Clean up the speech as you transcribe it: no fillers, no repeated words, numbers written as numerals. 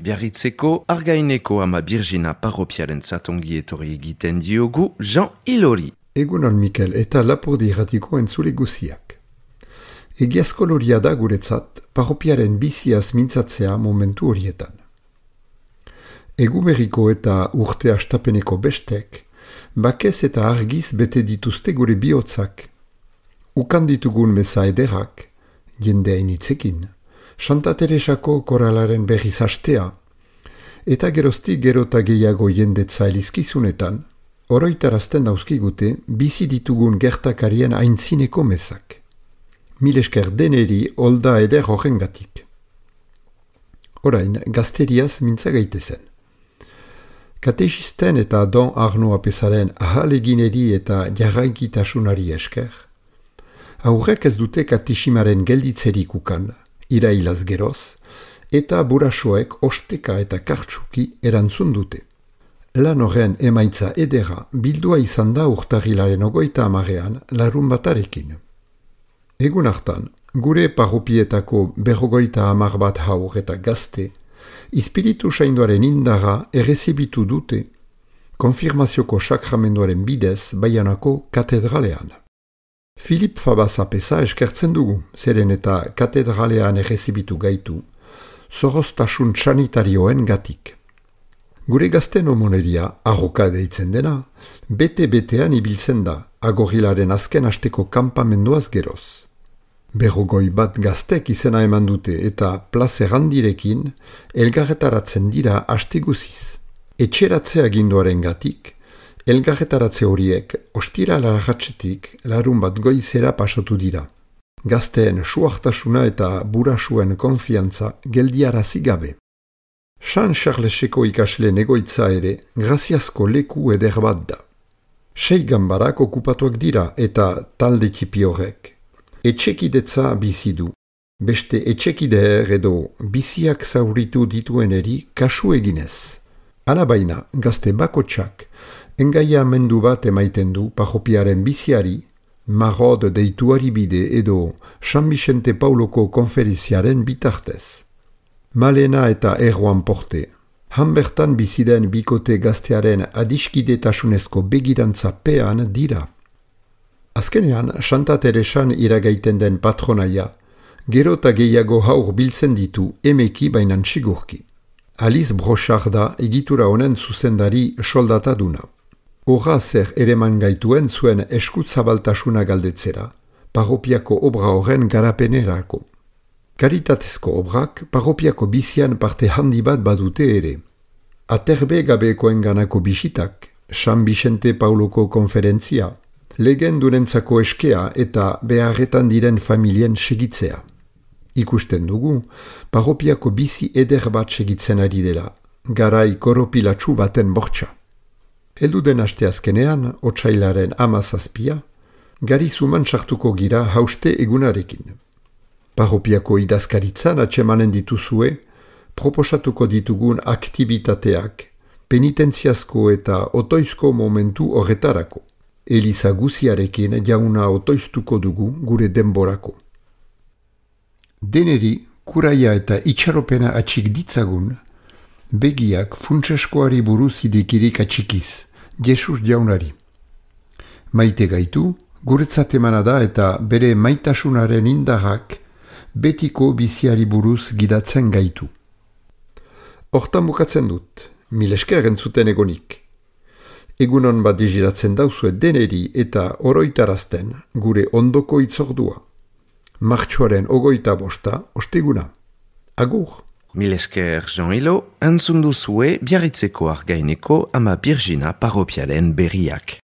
Biarritzeko Argaineko ama Birjina parropiarentzat ongi etorri egiten diogu Jean Ilori. Egunon Mikel eta Lapurdi irratiko entzule guziak. Egiazko loria da guretzat parropiaren biziaz mintzatzea momentu horietan. Eguberriko eta urte astapeneko bestek, bakez eta argiz bete dituzte gure bihotzak. Ukan ditugun meza ederak, jendea initzekin, Santa Teresako koralaren berriz hastea, eta geroztik gerota gehiago jendetza elizkizunetan, oroitarazten dauzkigute bizi ditugun gertakarien aintzineko mezak. Mil esker deneri olda eder horrengatik. Orain, gazteriaz mintza gaitezen. Katexisten eta Don Arno apesaren ahalegineri eta jarraikitasunari esker, aurrek ez dute kateximaren gelditzerik ukan, irailaz geroz, eta burasoek osteka eta kartsuki erantzun dute. Lan horren emaitza edera bildua izan da urtarrilaren 30 larun batarekin. Egun hartan, gure parropietako 50 bat haur eta gazte, Ispiritu Sainduaren indara errezibitu dute, konfirmazioko sakramenduaren bidez Baianako katedralean. Filip Fabaz apesa eskertzen dugu, zeren eta katedralean errezibitu gaitu, zoroztasun sanitarioen gatik. Gure gazten omoneria, arroka deitzen dena, bete-betean ibiltzen da, agorrilaren azken asteko kanpamenduaz geroz. 50 bat gaztek izena eman dute eta plazer handirekin elgarretaratzen dira aste guziz. Etxeratze aginduaren gatik, elgarretaratze horiek ostira larratxetik larun bat goizera pasatu dira. Gazteen suartasuna eta burasuen konfiantza geldiarazi gabe. San Charleseko ikasleen egoitza ere graziazko leku eder bat da. 6 ganbarak okupatuak dira eta talde tipi horrek. Etxekidetza bizi du. Beste etxekideer edo biziak zauritu ditueneri kasu eginez. Alabaina, gazte bakotsak, engaia mendu bat emaiten du parropiaren biziari, Marod deituari bide edo San Vicente Pauloko konferiziaren bitartez. Malena eta Erroan Porte, hanbertan biziden bikote gaztearen adiskidetasunezko begirantza pean dira. Azkenean, Santa Teresan iragaiten den patronaia, gero eta gehiago haur biltzen ditu emeki bainan sigurki. Alice Brochard da egitura honen zuzendari soldataduna. Horra zer ereman gaituen zuen eskutzabaltasuna galdetzera, parropiako obra horren garapenerako. Karitatezko obrak parropiako bizian parte handi bat badute ere. Aterbe gabekoen ganako bisitak, San Vicente Pauloko konferentzia, legendurentzako eskea eta beharretan diren familien segitzea. Ikusten dugu, parropiako bizi eder bat segitzen ari dela, garai koropilatsu baten bortxa. Heldu den asteazkenean, otsailaren 17, gari zuman sartuko gira hauste egunarekin. Parropiako idazkaritzan atsemanen dituzue, proposatuko ditugun aktibitateak, penitentziazko eta otoizko momentu horretarako. Eliza guziarekin jauna otoiztuko dugu gure denborako. Deneri, kuraia eta itxaropena atxik ditzagun, begiak funtseskoari buruz idekirik atxikiz, Jesus jaunari. Maite gaitu, guretzat emana da eta bere maitasunaren indarrak betiko biziari buruz gidatzen gaitu. Hortan bukatzen dut, mil esker entzuten egonik. Egunon bat digiratzen dauzue deneri eta oroitarazten gure ondoko itzordua. Martxoaren 25, osteguna. Agur! Mil esker Jean Ilo, entzun duzue Biarritzeko Argaineko ama Birjina parropiaren berriak.